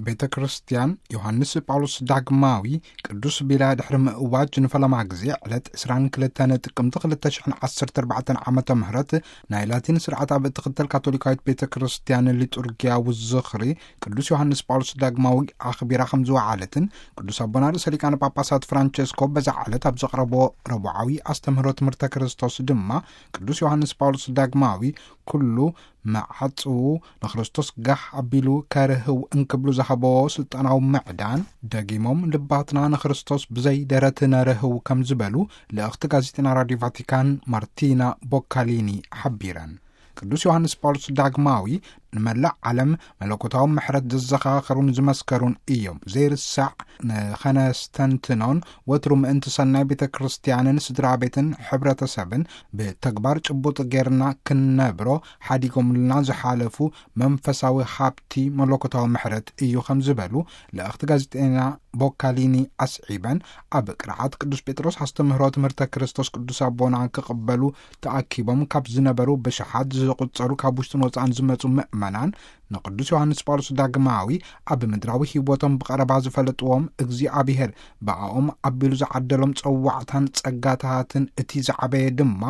ቤተ ክርስቲያን ዮሃንስ ጳውሎስ ዳግማዊ ቅዱስ ቢላ ድሕሪ ምእዋጅ ንፈለማ ግዜ ዕለት ዕስራን ክልተን ጥቅምቲ ክልተ ሽሕን ዓሰርተ ኣርባዕተን ዓመተ ምህረት ናይ ላቲን ስርዓት ኣብ እትኽተል ካቶሊካዊት ቤተ ክርስቲያን ሊጡርጊያዊ ዝኽሪ ቅዱስ ዮሃንስ ጳውሎስ ዳግማዊ ኣኽቢራ ከም ዝወዓለትን፣ ቅዱስ ኣቦና ርእሰ ሊቃነ ጳጳሳት ፍራንቸስኮ በዛ ዕለት ኣብ ዘቕረቦ ረቡዓዊ ኣስተምህሮ ትምህርተ ክርስቶስ ድማ፣ ቅዱስ ዮሃንስ ጳውሎስ ዳግማዊ ኩሉ መዓጽዉ ንክርስቶስ ጋሕ ኣቢሉ ከርህው እንክብሉ ዝሃበዎ ስልጣናዊ ምዕዳን፣ ደጊሞም ልባትና ንክርስቶስ ብዘይ ደረት ነርህው ከም ዝበሉ ልእኽቲ ጋዜጠና ራድዮ ቫቲካን ማርቲና ቦካሊኒ ሓቢረን። ቅዱስ ዮሃንስ ጳውሎስ ዳግማዊ ንመላእ ዓለም መለኮታዊ ምሕረት ዘዘኻኸሩን ዝመስከሩን እዮም። ዘይርሳዕ ንኸነስተንትኖን ወትሩ ምእንቲ ሰናይ ቤተ ክርስቲያንን ስድራ ቤትን ሕብረተሰብን ብተግባር ጭቡጥ ጌርና ክንነብሮ ሓዲጎምልና ዝሓለፉ መንፈሳዊ ሃብቲ መለኮታዊ ምሕረት እዩ ከም ዝበሉ ልእኽቲ ጋዜጠና ቦካሊኒ ኣስዒበን፣ ኣብ ቅርዓት ቅዱስ ጴጥሮስ ኣስተምህሮ ትምህርተ ክርስቶስ ቅዱስ ኣቦና ክቕበሉ ተኣኪቦም ካብ ዝነበሩ ብሽሓት ዝቑጸሩ ካብ ውሽጥን ወጻእን ዝመጹ ምእመናን ንቅዱስ ዮሃንስ ጳውሎስ ዳግማዊ ኣብ ምድራዊ ህይወቶም ብቐረባ ዝፈለጥዎም እግዚኣብሔር ብኣኦም ኣቢሉ ዝዓደሎም ጸዋዕታን ጸጋታትን እቲ ዝዓበየ ድማ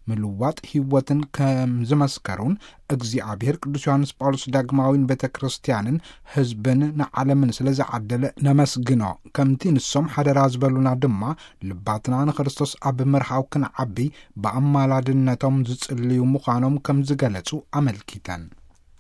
ምልዋጥ ህይወትን ከም ዝመስከሩን እግዚኣብሔር ቅዱስ ዮሃንስ ጳውሎስ ዳግማዊን ቤተ ክርስቲያንን ህዝብን ንዓለምን ስለ ዝዓደለ ነመስግኖ። ከምቲ ንሶም ሓደራ ዝበሉና ድማ ልባትና ንክርስቶስ ኣብ ምርሃው ክንዓቢ ብኣማላድነቶም ዝጽልዩ ምዃኖም ከም ዝገለጹ ኣመልኪተን።